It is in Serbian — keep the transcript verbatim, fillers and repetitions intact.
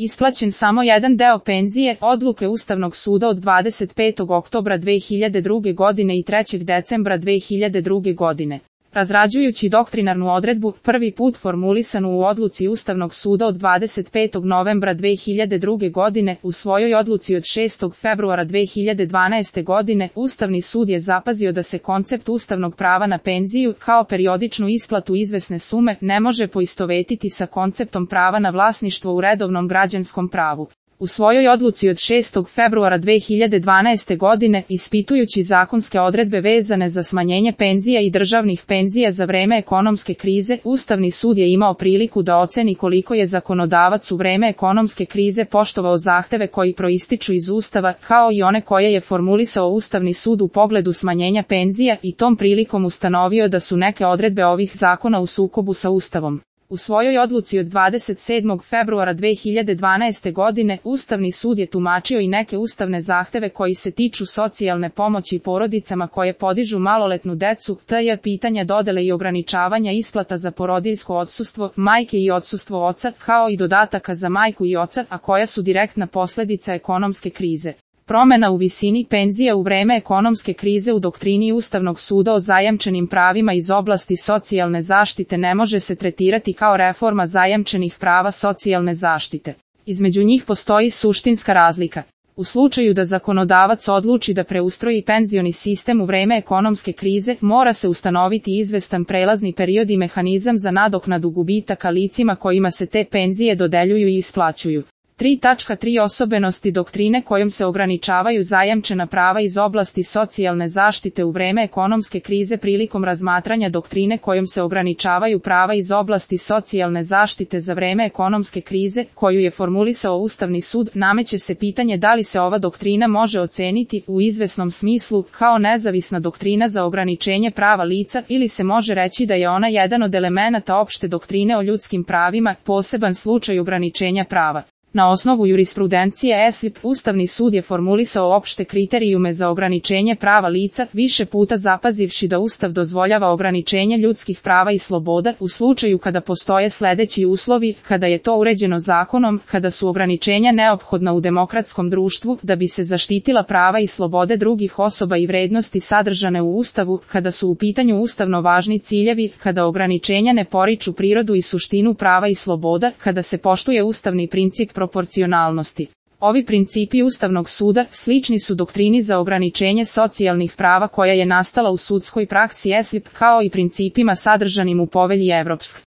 isplaćen samo jedan deo penzije, odluke Ustavnog suda od dvadeset petog oktobra dve hiljade druge godine i trećeg decembra dve hiljade druge godine. Razrađujući doktrinarnu odredbu, prvi put formulisanu u odluci Ustavnog suda od dvadeset petog novembra dve hiljade druge godine, u svojoj odluci od šestog februara dve hiljade dvanaeste godine, Ustavni sud je zapazio da se koncept ustavnog prava na penziju, kao periodičnu isplatu izvesne sume, ne može poistovetiti sa konceptom prava na vlasništvo u redovnom građanskom pravu. U svojoj odluci od šestog februara dve hiljade dvanaeste godine, ispitujući zakonske odredbe vezane za smanjenje penzija i državnih penzija za vreme ekonomske krize, Ustavni sud je imao priliku da oceni koliko je zakonodavac u vreme ekonomske krize poštovao zahteve koji proističu iz Ustava, kao i one koje je formulisao Ustavni sud u pogledu smanjenja penzija, i tom prilikom ustanovio da su neke odredbe ovih zakona u sukobu sa Ustavom. U svojoj odluci od dvadeset sedmog februara dve hiljade dvanaeste godine, Ustavni sud je tumačio i neke ustavne zahteve koji se tiču socijalne pomoći porodicama koje podižu maloletnu decu, tj. pitanja dodele i ograničavanja isplata za porodiljsko odsustvo, majke i odsustvo oca, kao i dodataka za majku i oca, a koja su direktna posledica ekonomske krize. Promena u visini penzija u vreme ekonomske krize u doktrini Ustavnog suda o zajamčenim pravima iz oblasti socijalne zaštite ne može se tretirati kao reforma zajamčenih prava socijalne zaštite. Između njih postoji suštinska razlika. U slučaju da zakonodavac odluči da preustroji penzioni sistem u vreme ekonomske krize, mora se ustanoviti izvestan prelazni period i mehanizam za nadoknadu gubitaka licima kojima se te penzije dodeljuju i isplaćuju. tri tačka tri Osobenosti doktrine kojom se ograničavaju zajamčena prava iz oblasti socijalne zaštite u vreme ekonomske krize. Prilikom razmatranja doktrine kojom se ograničavaju prava iz oblasti socijalne zaštite za vreme ekonomske krize, koju je formulisao Ustavni sud, nameće se pitanje da li se ova doktrina može oceniti, u izvesnom smislu, kao nezavisna doktrina za ograničenje prava lica, ili se može reći da je ona jedan od elemenata opšte doktrine o ljudskim pravima, poseban slučaj ograničenja prava. Na osnovu jurisprudencije E S I P, Ustavni sud je formulisao opšte kriterijume za ograničenje prava lica, više puta zapazivši da Ustav dozvoljava ograničenje ljudskih prava i sloboda, u slučaju kada postoje sledeći uslovi, kada je to uređeno zakonom, kada su ograničenja neophodna u demokratskom društvu, da bi se zaštitila prava i slobode drugih osoba i vrednosti sadržane u Ustavu, kada su u pitanju ustavno važni ciljevi, kada ograničenja ne poriču prirodu i suštinu prava i sloboda, kada se poštuje ustavni princip proporcionalnosti. Ovi principi Ustavnog suda slični su doktrini za ograničenje socijalnih prava koja je nastala u sudskoj praksi E S I P, kao i principima sadržanim u Povelji Evropske